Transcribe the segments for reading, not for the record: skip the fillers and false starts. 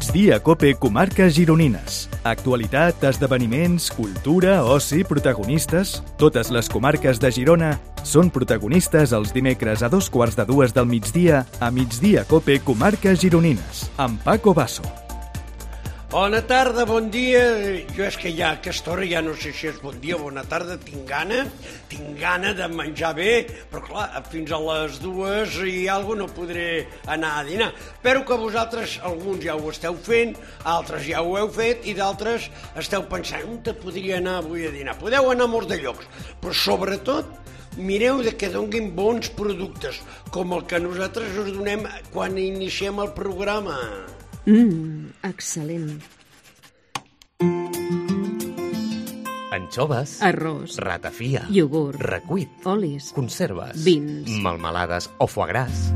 Migdia Cope Comarques Gironines. Actualitat, esdeveniments, cultura, oci, protagonistes... Totes les comarques de Girona són protagonistes els dimecres a 2:15 del migdia a Migdia Cope Comarques Gironines, amb Paco Basso. Bona tarda, bon dia. Jo és que ja a aquesta hora ja no sé si és bon dia o bona tarda. Tinc gana de menjar bé, però clar, fins a les 2 i alguna no podré anar a dinar. Espero que vosaltres, alguns ja ho esteu fent, altres ja ho heu fet i d'altres esteu pensant on te podria anar avui a dinar. Podeu anar a molts de llocs, però sobretot mireu de que donguin bons productes, com el que nosaltres us donem quan iniciem el programa. Excel·lent. Anxoves, Arròs, ratafia, iogurt, recuit, olis, conserves, vins, melmelades o foie gras.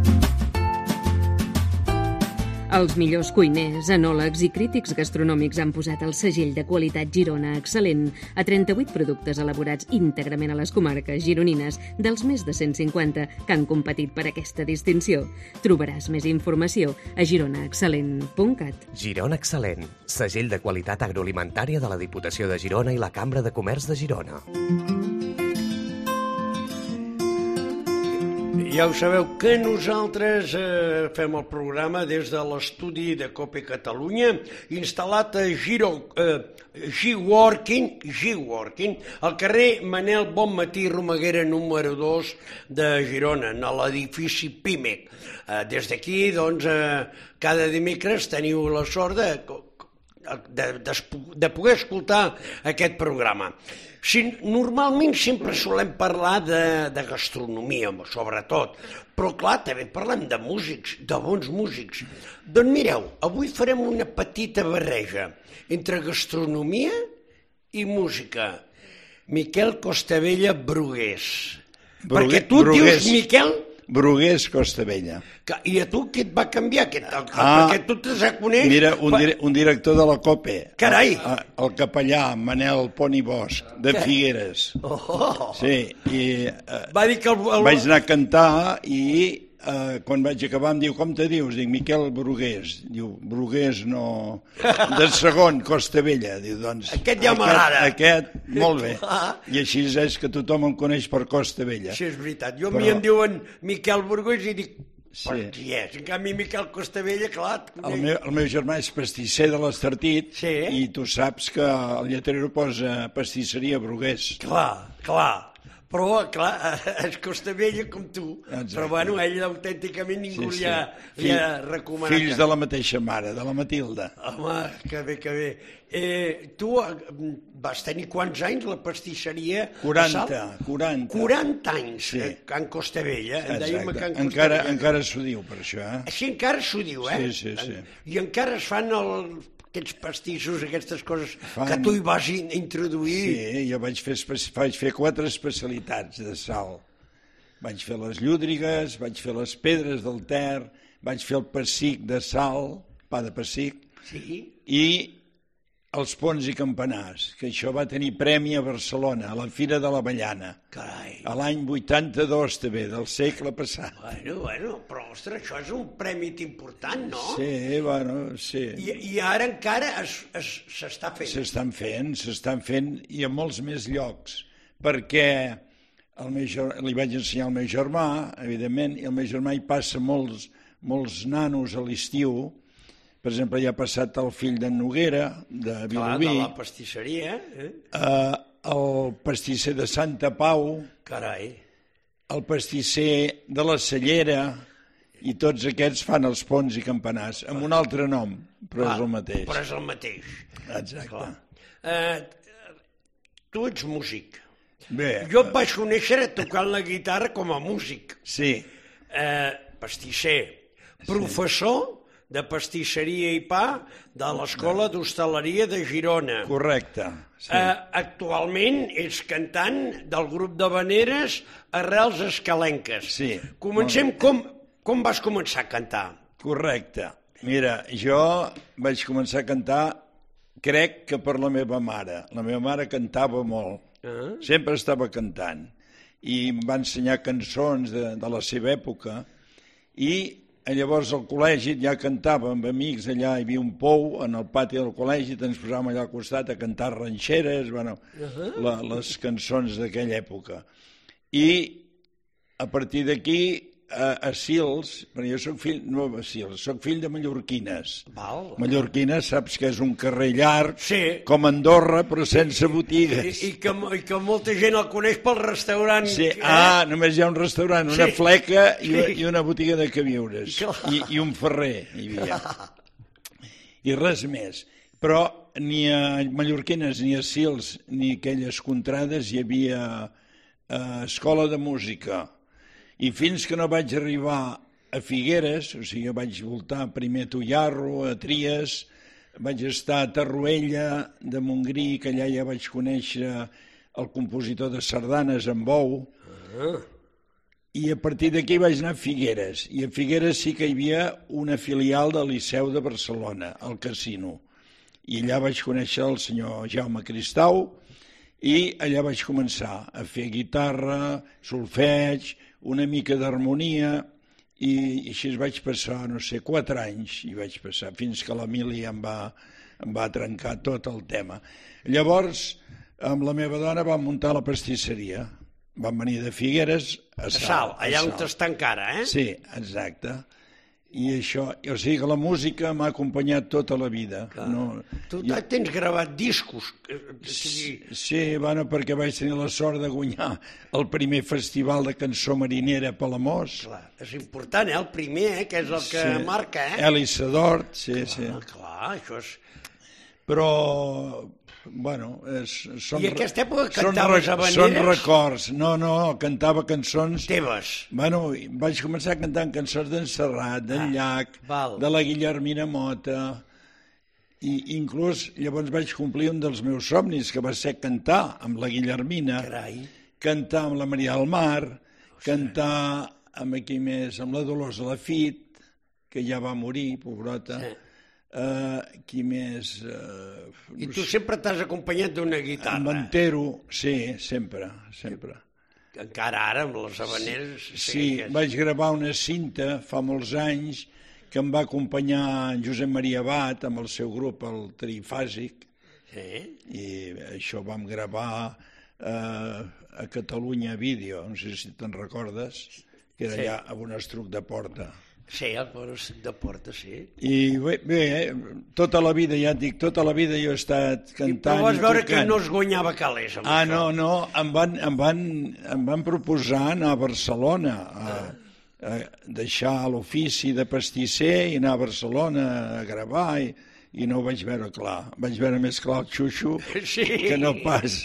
Els millors cuiners, enòlegs i crítics gastronòmics han posat el segell de qualitat Girona Excel·lent a 38 productes elaborats íntegrament a les comarques gironines dels més de 150 que han competit per aquesta distinció. Trobaràs més informació a gironaexcel·lent.cat. Girona Excel·lent, segell de qualitat agroalimentària de la Diputació de Girona i la Cambra de Comerç de Girona. Ja ho sabeu que nosaltres fem el programa des de l'estudi de Cope Catalunya, instal·lat a G-Working, al carrer Manel Bonmatí Romaguera número 2 de Girona, a l'edifici Pimec. Des d'aquí, doncs, cada dimecres teniu la sort de poder escoltar aquest programa. Normalment sempre solem parlar de gastronomia, sobretot, però clar, també parlem de músics, de bons músics. Doncs mireu, avui farem una petita barreja entre gastronomia i música. Miquel Costabella Brugués. Perquè tu et dius Miquel Brugués Costabella. I a tu què et va canviar? Perquè tu te coneix... Mira, un director de la COPE. Carai! El capellà Manel Poni Bosch, de Figueres. Sí, i va dir que vaig anar a cantar i quan vaig acabar em diu, com te dius? Dic, Miquel Brugués. Diu, Brugués no... De segon, Costabella. Diu, doncs... Aquest ja m'agrada. Aquest, molt bé. I així és que tothom em coneix per Costabella. Sí, és veritat. Jo a mi em diuen Miquel Brugués i dic, sí. Qui és? En canvi, Miquel Costabella, clar... El meu germà és pastisser de l'Estartit, sí. I tu saps que el lletrero posa pastisseria Brugués. Clar. Però, clar, és Costabella com tu. Exacte. Però, bueno, ell autènticament ningú li ha recomanat. Fills de la mateixa mare, de la Matilda. Home, que bé. Tu vas tenir quants anys la pastisseria? 40. 40 anys, sí. Can Costabella. Exacte. Encara s'ho diu, per això, Sí, encara s'ho diu, Sí. I encara es fan aquests pastissos, aquestes coses que tu hi vas introduir. Sí, jo vaig fer 4 especialitats de sal. Vaig fer les llúdrigues, vaig fer les pedres del Ter, vaig fer el pessic de sal, pa de pessic, sí. I els pons i campanars, que això va tenir premi a Barcelona, a la Fira de l'Avellana. Carai. A l'any 82 també, del segle passat. Bueno, però, ostres, això és un premi important, no? Sí. I ara encara s'està fent. S'estan fent i a molts més llocs, perquè li vaig ensenyar al meu germà, evidentment, i el meu germà hi passa molts nanos a l'estiu. Per exemple, hi ha passat el fill d'en Noguera, de Vilobí. De la pastisseria, el pastisser de Santa Pau. Carai. El pastisser de la Cellera, i tots aquests fan els pons i campanars, amb un altre nom, però és el mateix. Però és el mateix. Exacte. Tu ets músic. Bé. Jo et vaig conèixer tocant la guitarra com a músic. Sí. Pastisser. Professor de pastisseria i pa de l'Escola d'Hostaleria de Girona. Correcte. Sí. Actualment ets cantant del grup d'havaneres Arrels Escalenques. Sí. Comencem com vas començar a cantar? Correcte. Mira, jo vaig començar a cantar, crec que per la meva mare. La meva mare cantava molt. Sempre estava cantant. I em va ensenyar cançons de la seva època i llavors al col·legi ja cantava amb amics, allà hi havia un pou en el pati del col·legi, ens posàvem allà al costat a cantar ranxeres, les cançons d'aquella època. I a partir d'aquí, a Sils, perquè jo soc fill de mallorquines. Mallorquines, saps que és un carrer llarg, com Andorra, però sense botigues. I que molta gent el coneix pel restaurant. Sí, només hi ha un restaurant, una fleca i una botiga de queviures. I un ferrer hi havia. I res més. Però ni a Mallorquines, ni a Sils, ni a aquelles contrades hi havia escola de música. I fins que no vaig arribar a Figueres, o sigui, vaig voltar primer a Tullarro, a Tries, vaig estar a Tarruella de Montgrí, que allà ja vaig conèixer el compositor de sardanes, en Bou, i a partir d'aquí vaig anar a Figueres, i a Figueres sí que hi havia una filial del Liceu de Barcelona, al Casino, i allà vaig conèixer el senyor Jaume Cristau, i allà vaig començar a fer guitarra, solfeig, una mica d'harmonia, i així vaig passar, 4 anys, i vaig passar, fins que l'Emili em va trencar tot el tema. Llavors, amb la meva dona vam muntar la pastisseria. Vam venir de Figueres a Salt. Allà on està encara, eh? Sí, exacte. I això, o sigui que la música m'ha acompanyat tota la vida. Tu tens gravat discos? Sí, perquè vaig tenir la sort de guanyar el primer festival de cançó marinera a Palamós. És important, el primer, que és el que marca, eh? Elis Sedort, sí. Clar, això és... Però, bueno, I a aquesta època cantaves habaneres? Són records. No, cantava cançons... Teves? Bueno, vaig començar cantant cançons d'en Serrat, d'en Llach, de la Guillermina Mota, i inclús llavors vaig complir un dels meus somnis, que va ser cantar amb la Guillermina, cantar amb la Maria del Mar, cantar amb la Dolors Lafit, que ja va morir, pobrota. Qui més? I tu sempre t'has acompanyat d'una guitarra? Amb Antero, sí, sempre. Encara ara, amb les habaneres... Sí, vaig gravar una cinta fa molts anys que em va acompanyar en Josep Maria Abat amb el seu grup, el Trifàsic, i això vam gravar a Catalunya Vídeo, no sé si te'n recordes, que era allà a Bonestruc de Porta. Sí, el Bonestruc de Porta, sí. I bé, tota la vida, ja et dic, tota la vida jo he estat cantant i tocant. Però vas veure que no es guanyava calés amb això. No, em van proposar anar a Barcelona, a deixar l'ofici de pastisser i anar a Barcelona a gravar, i no ho vaig veure clar. Vaig veure més clar el xuxo que no pas.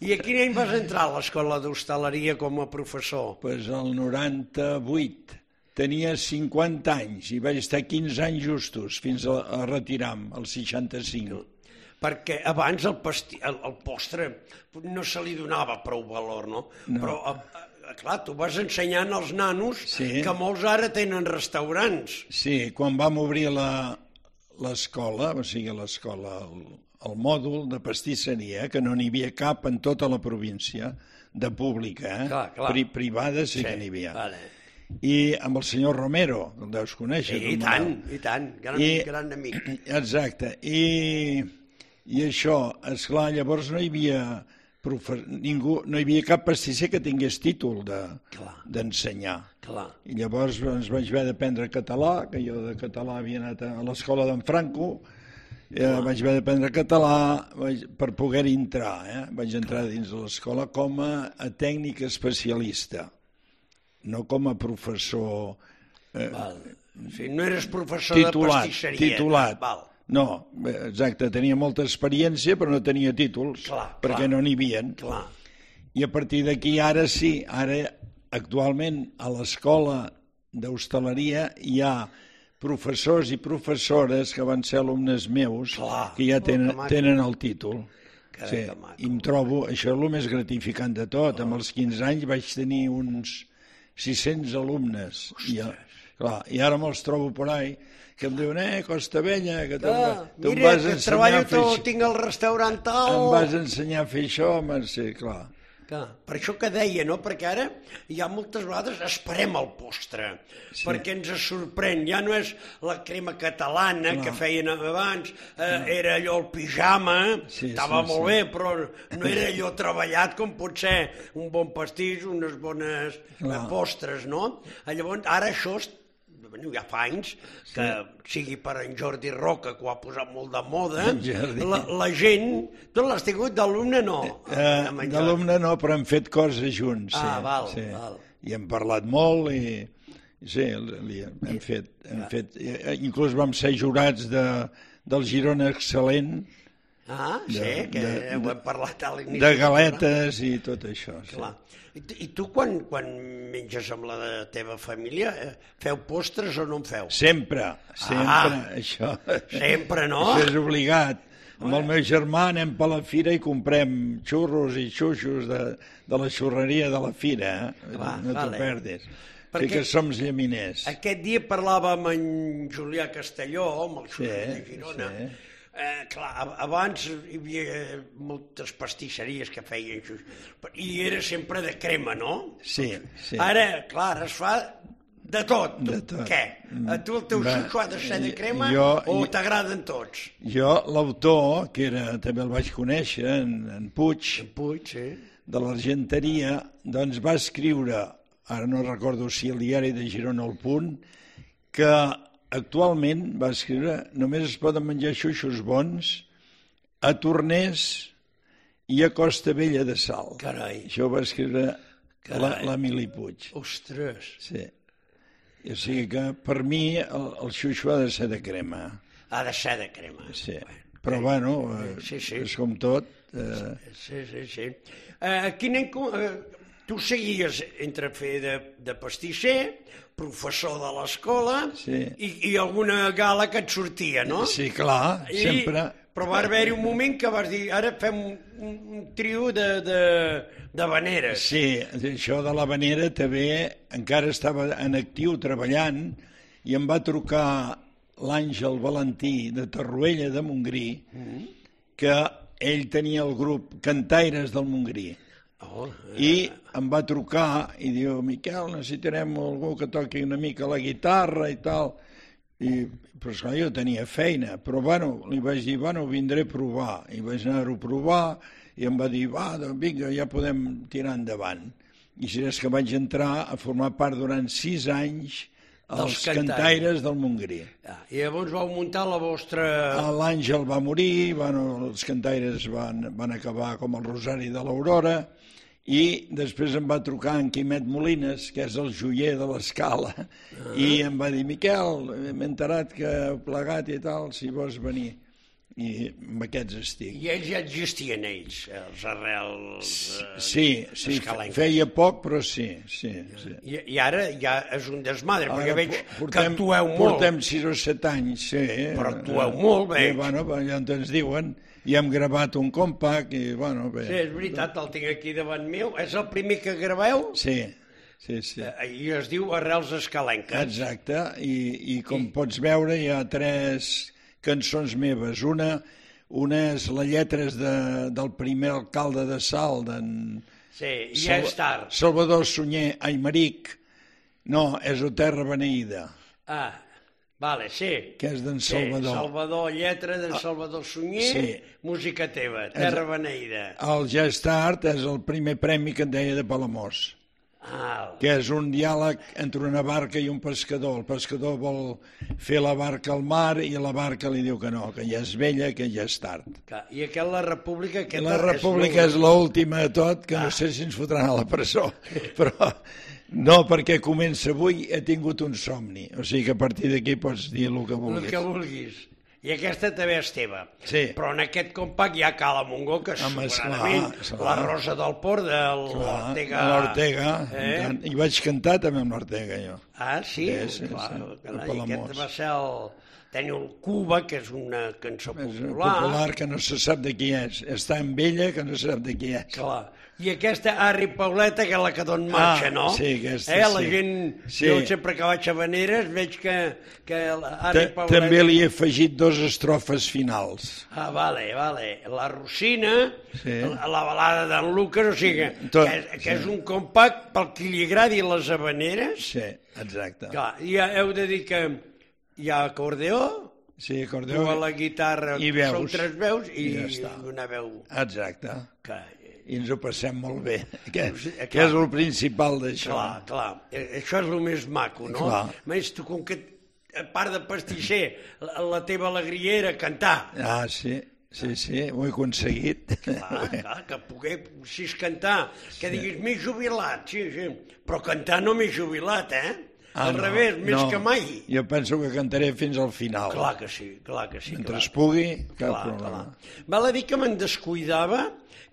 I a quin any vas entrar a l'escola d'hostaleria com a professor? Doncs el 98. Tenia 50 anys i vaig estar 15 anys justos fins a retirar-me, al 65. Perquè abans el postre no se li donava prou valor, no? Però, clar, tu vas ensenyant als nanos que molts ara tenen restaurants. Sí, quan vam obrir l'escola, o sigui, l'escola, el mòdul de pastisseria, que no n'hi havia cap en tota la província, de pública, privada sí que n'hi havia. I amb el senyor Romero, el deus conèixer. I tant, gran amic. Exacte, i això, esclar, llavors no hi havia ningú, no hi havia cap pastisser que tingués títol d'ensenyar. I llavors ens vaig haver d'aprendre català, que jo de català havia anat a l'escola d'en Franco, vaig haver d'aprendre català per poder entrar, vaig entrar dins de l'escola com a tècnic especialista, no com a professor... No eres professor de pastisseria. Titulat. No, exacte, tenia molta experiència però no tenia títols, perquè no n'hi havien. I a partir d'aquí ara sí, ara actualment a l'escola d'hostaleria hi ha professors i professores que van ser alumnes meus que ja tenen el títol. I em trobo, això és el més gratificant de tot, amb els 15 anys vaig tenir uns 600 alumnes i ara me'ls trobo por ahí que em diuen, Costa Vella, que tu em vas ensenyar a fer això. Tinc el restaurant tal. Em vas ensenyar a fer això, sí, clar. Per això que deia, no? Perquè ara hi ha moltes vegades esperem el postre, perquè ens sorprèn. Ja no és la crema catalana que feien abans, era allò el pijama, estava molt bé, però no era allò treballat com pot ser un bon pastís, unes bones postres, no? Llavors, ara això ja fa anys que sigui per en Jordi Roca, que ho ha posat molt de moda, la gent... Tu l'has tingut d'alumne, no? D'alumne no, però hem fet coses junts. Val. I hem parlat molt i... Sí, hem fet... Inclús vam ser jurats del Girona Excel·lent. Que ho hem parlat a l'inici. De galetes i tot això. Clar. I tu, quan menges amb la teva família, feu postres o no en feu? Sempre, això. Sempre, no? Això és obligat. Amb el meu germà anem per la fira i comprem xurros i xuxos de la xurreria de la fira. No t'ho perdis. Que som llaminers. Aquest dia parlàvem amb en Julià Castelló, amb el xurrer de Girona. Clar, abans hi havia moltes pastisseries que feien això, i era sempre de crema, no? Sí. Ara, clar, es fa de tot. Què? A tu el teu xuxo ha de ser de crema o t'agraden tots? Jo, l'autor, que també el vaig conèixer, en Puig, de l'Argenteria, doncs va escriure, ara no recordo si el diari de Girona El Punt, que actualment, va escriure, només es poden menjar xuxos bons a Tornés i a Costa Vella de Sal. Carai. Això ho va escriure l'Emili Puig. Ostres. Sí. O sigui que per mi el xuxo ha de ser de crema. Ha de ser de crema. Sí. Però bueno, és com tot. Sí. Tu seguies entre fer de pastisser, professor de l'escola i alguna gala que et sortia, no? Sí, clar, sempre. Però va haver-hi un moment que vas dir, ara fem un trio de veneres. Sí, això de la venera també encara estava en actiu treballant i em va trucar l'Àngel Valentí de Torroella de Montgrí, que ell tenia el grup Cantaires del Montgrí. I em va trucar i diu, Miquel, necessitarem algú que toqui una mica la guitarra i tal. Però esclar, jo tenia feina, però li vaig dir, vindré a provar. I vaig anar-ho a provar i em va dir, vinga, ja podem tirar endavant. I si és que vaig entrar a formar part durant 6 anys als Cantaires del Montgrí. I llavors vau muntar la vostra... L'Àngel va morir, els Cantaires van acabar com el Rosari de l'Aurora, i després em va trucar en Quimet Molines, que és el joier de l'Escala, i em va dir, Miquel, m'he enterat que heu plegat i tal, si vols venir. I amb aquests estic. I ells ja existien, els arrels escalenques? Feia poc, però sí. I ara ja és un desmadre, perquè veig que actueu molt. Portem 6 o 7 anys, sí. Però actueu molt, veig. Ja ens diuen, i hem gravat un compact, i bé. Sí, és veritat, el tinc aquí davant meu. És el primer que graveu? Sí. I es diu Arrels escalenques. Exacte, i com pots veure hi ha 3 cançons meves. Una és la lletra del primer alcalde de Salt, ja és tard. Salvador Sunyer Aymeric. No, és O Terra Beneïda. Vale, sí. Que és d'en Salvador. Salvador, lletra d'en Salvador Sunyer, música teva, Terra Beneïda. El Ja és tard és el primer premi que et deia de Palamós. Que és un diàleg entre una barca i un pescador. El pescador vol fer la barca al mar i la barca li diu que no, que ja és vella, que ja és tard. I aquest La República... La República és l'última de tot, que no sé si ens fotran a la presó, però no, perquè comença avui, he tingut un somni, o sigui que a partir d'aquí pots dir el que vulguis. El que vulguis. I aquesta també és teva. Sí. Però en aquest compact hi ha Cala Montgó, que és sobradament la Rosa del Port de l'Ortega. L'Ortega. I vaig cantar també amb l'Ortega, jo. Sí? Clar. I aquest va ser Teniu el Cuba, que és una cançó popular. Popular que no se sap de qui és. És tan vella que no se sap de qui és. Clar. I aquesta Arri Pauleta, que és la que d'on marxa, no? Sí, aquesta, La gent, jo sempre que vaig a Veneres veig que Arri Pauleta... També li he afegit 2 estrofes finals. Vale. La Rosina, la balada d'en Lucas, o sigui, que és un compact pel qui li agradi les habaneres. Sí, exacte. Clar, ja heu de dir que hi ha acordeó, sí, acordeó, tu a la guitarra sou 3 veus i una veu. Exacte. I ens ho passem molt bé, que és el principal d'això. Clar, això és el més maco, no? Clar. A més, tu com que, a part de pastisser, la teva alegria era cantar. Sí, ho he aconseguit. Clar, que poguessis cantar, que diguis, m'he jubilat, sí, però cantar no m'he jubilat, Al revés, més que mai. Jo penso que cantaré fins al final. Clar que sí. Mentre es pugui, cap problema. Val a dir que me'n descuidava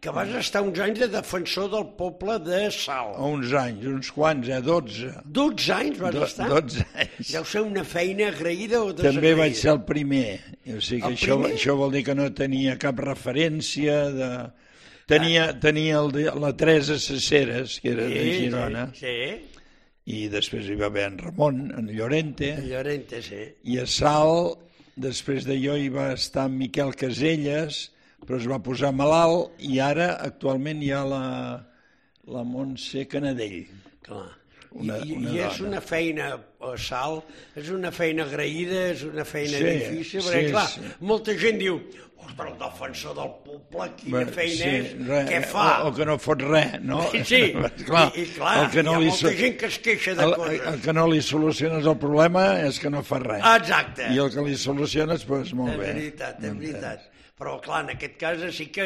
que vas estar uns anys de defensor del poble de Salt. Uns anys, uns quants, 12. 12 anys vas estar? 12 anys. Deu ser una feina agraïda o desagraïda? També vaig ser el primer. O sigui que això vol dir que no tenia cap referència de... Tenia la Teresa Cesseres, que era de Girona. Sí. I després hi va haver en Ramon, en Llorente. En Llorente, sí. I a Salt, després de jo, hi va estar en Miquel Caselles, però es va posar malalt, i ara, actualment, hi ha la Montse Canadell. Clar. I és una feina, Salt, és una feina agraïda, és una feina difícil, perquè, clar, molta gent diu, ostres, el defensor del poble, quina feina és, què fa? O que no fot res, no? Sí, i clar, hi ha molta gent que es queixa de coses. El que no li soluciones el problema és que no fa res. Exacte. I el que li soluciones, doncs molt bé. És veritat. Però, clar, en aquest cas sí que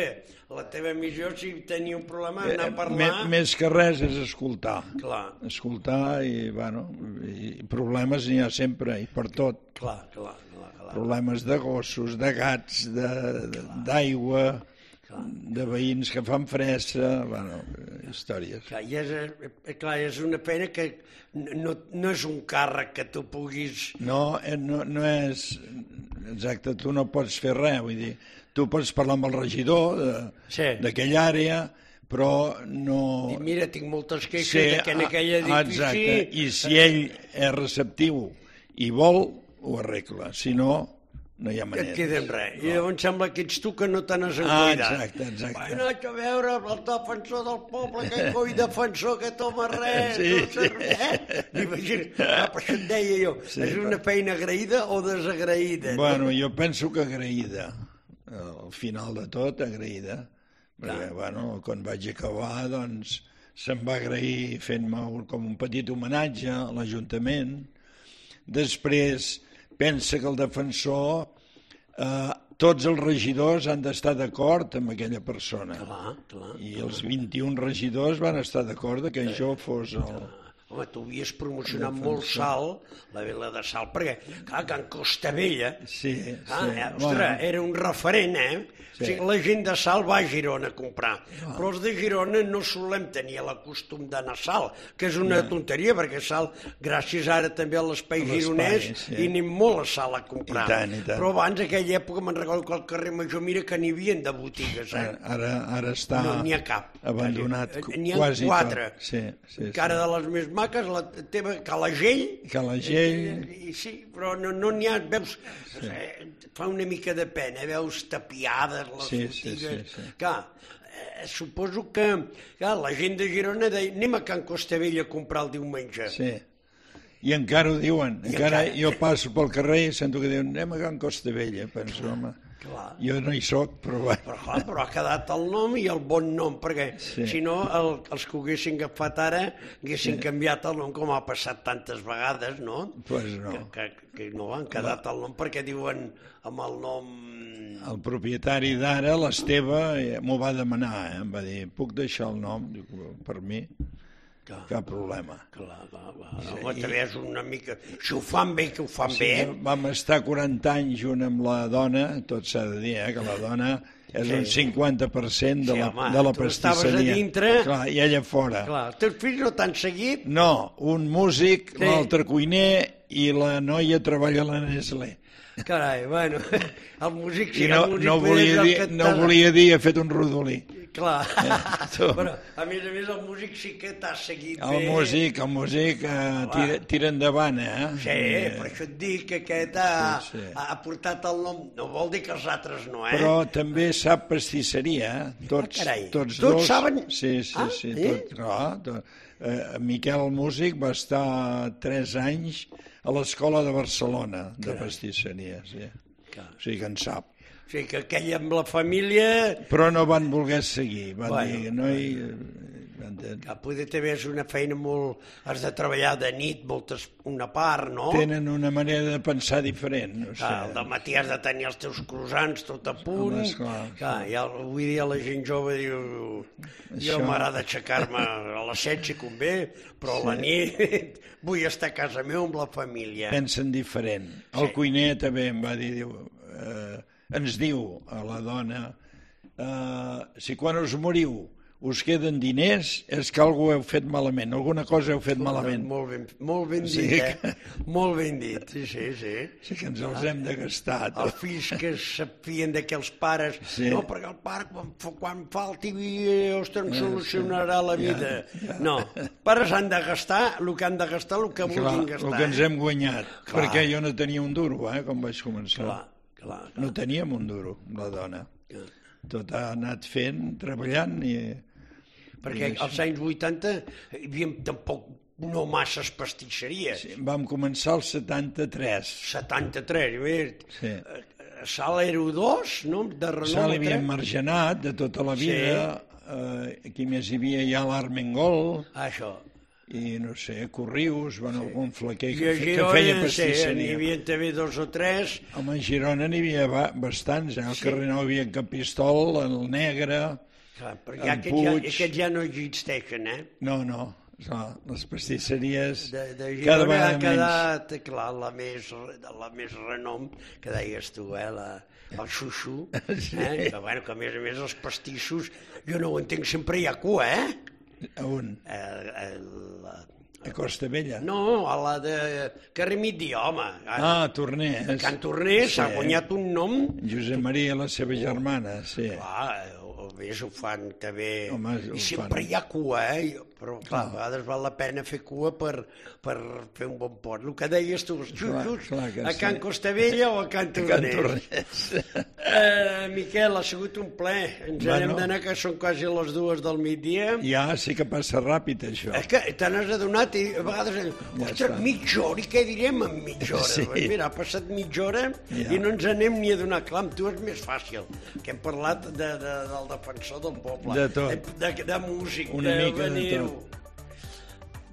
la teva missió, si tenia un problema, anar a parlar... Més que res és escoltar. Clar. Escoltar i, bueno, problemes n'hi ha sempre, i per tot. Clar. Problemes de gossos, de gats, d'aigua, de veïns que fan fressa, bueno, històries. Clar, és una pena que no és un càrrec que tu puguis... No és... Exacte, tu no pots fer res, vull dir, tu pots parlar amb el regidor d'aquella àrea, però no... I mira, tinc moltes queixes que en aquell edifici... Exacte, i si ell és receptiu i vol, ho arregla, si no, no hi ha manera. Et queda en res. I llavors sembla que ets tu que no te n'has cuidat. Exacte. Bueno, haig a veure el defensor del poble, que coi defensor que toma res, no sé, Imagina't, per això et deia jo, és una feina agraïda o desagraïda? Bueno, jo penso que agraïda. Al final de tot, agraïda. Perquè, bueno, quan vaig acabar, doncs, se'm va agrair fent-me com un petit homenatge a l'Ajuntament. Després pensa que el defensor, tots els regidors han d'estar d'acord amb aquella persona. Clar. I els 21 regidors van estar d'acord que jo fos el... Home, tu havies promocionat molt Salt, la vila de Salt, perquè, clar, Can Costabella, era un referent, O sigui, la gent de Salt va a Girona a comprar, però els de Girona no solem tenir el costum d'anar a Salt, que és una tonteria, perquè Salt, gràcies ara també a l'espai gironès, hi anem molt a Salt a comprar. Però abans, a aquella època, me'n recordo que al carrer Major, mira que n'hi havia de botigues. Ara està abandonat quasi tot. N'hi ha 4. Encara de les més maques, la teva Calagell. Sí, però no n'hi ha, veus, fa una mica de pena, veus tapiades les botigues. Clar, suposo que la gent de Girona deia, anem a Can Costabella a comprar el diumenge. Sí, i encara ho diuen. Encara jo passo pel carrer i sento que diuen, anem a Can Costabella, penso, home. Jo no hi soc, però... Però ha quedat el nom i el bon nom, perquè si no els que ho haguessin agafat ara haguessin canviat el nom, com ha passat tantes vegades, no? Doncs no. Que no han quedat el nom perquè diuen amb el nom... El propietari d'ara, l'Esteve, m'ho va demanar, em va dir, puc deixar el nom? Dic, per mi... cap problema. Home, també és una mica... Si ho fan bé, que ho fan bé. Vam estar 40 anys junt amb la dona, tot s'ha de dir, que la dona és un 50% de la pastisseria. Tu estaves a dintre... Clar, i ella fora. Els teus fills no t'han seguit? No, un músic, l'altre cuiner, i la noia treballa a la Nestlé. Carai, bueno, el músic... I no volia dir, he fet un rodolí. Clar. Però, a més, el músic sí que t'ha seguit bé. El músic tira endavant, Sí, per això et dic que aquest ha portat el nom. No vol dir que els altres no, Però també sap pastisseria, Tots dos. Tots saben? Sí, tot. Miquel, el músic, va estar 3 anys a l'escola de Barcelona, de pastisseria, sí. O sigui que en sap. O sigui que aquell amb la família... Però no van voler seguir, van dir, noi... Que poder també és una feina molt... Has de treballar de nit, una part, no? Tenen una manera de pensar diferent. No sé. Al dematí has de tenir els teus croissants tot a punt. Avui dia la gent jove diu... Jo m'agrada aixecar-me a les 7 si convé, però a la nit vull estar a casa meu amb la família. Pensen diferent. El cuiner també em va dir... Ens diu a la dona, si quan us moriu us queden diners, és que alguna heu fet malament, alguna cosa heu fet malament. Molt ben dit, Molt ben dit, sí. Sí que ens els hem de gastar. Els fills que s'afien de que els pares... No, perquè el pare quan falti ens solucionarà la vida. No, pares han de gastar el que han de gastar, el que vulguin gastar. El que ens hem guanyat, perquè jo no tenia un duro, com vaig començar. Clar. No teníem un duro, la dona. Tot ha anat fent, treballant i... Perquè als anys 80 hi havia tampoc no masses pastisseries. Sí, vam començar el 73. 73, sí. Sal era 2, no? De renom. Sal hi havia margenat de tota la vida. Aquí més hi havia ja l'Armengol. Això. I no sé, Corrius, algun flequer que feia pastisseria. N'hi havia també 2 o 3. Home, a Girona n'hi havia bastants, al carrer Nou hi havia en Capistol, el Negre, en Puig... Aquests ja no existeixen, No, les pastisseries de Girona ha quedat, clar, la més renom, que deies tu, el xuxu, que a més els pastissos, jo no ho entenc, sempre hi ha cua, A on? A Costa Vella? No, a la de carrer Migdia, home. Torners. Can Torners s'ha guanyat un nom... Josep Maria, la seva germana, sí. Clar, ho fan també... I sempre hi ha cua, però clar, a vegades val la pena fer cua per fer un bon pot. El que deies tu, els xuxos, a Can Costa Vella o a Can Torners. Miquel, ha sigut un ple. Ens hem d'anar, que són quasi les 2 del migdia. Ja, sí que passa ràpid, això. És que te n'has adonat i a vegades... Ostres, mitja hora, i què direm en mitja hora? Mira, ha passat mitja hora i no ens anem ni a donar. Clar, amb tu és més fàcil, que hem parlat del defensor del poble. De tot. De músic, una mica de tot.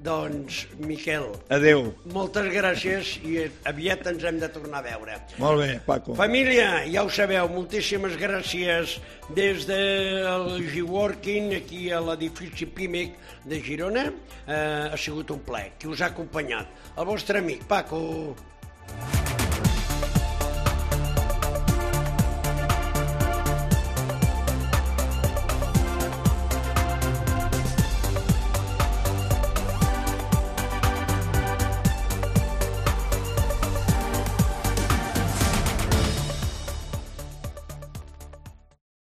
Doncs, Miquel, adéu. Moltes gràcies i aviat ens hem de tornar a veure. Molt bé, Paco. Família, ja ho sabeu, moltíssimes gràcies des del G-Working, aquí a l'edifici Pimec de Girona. Ha sigut un plaer. Qui us ha acompanyat? El vostre amic, Paco.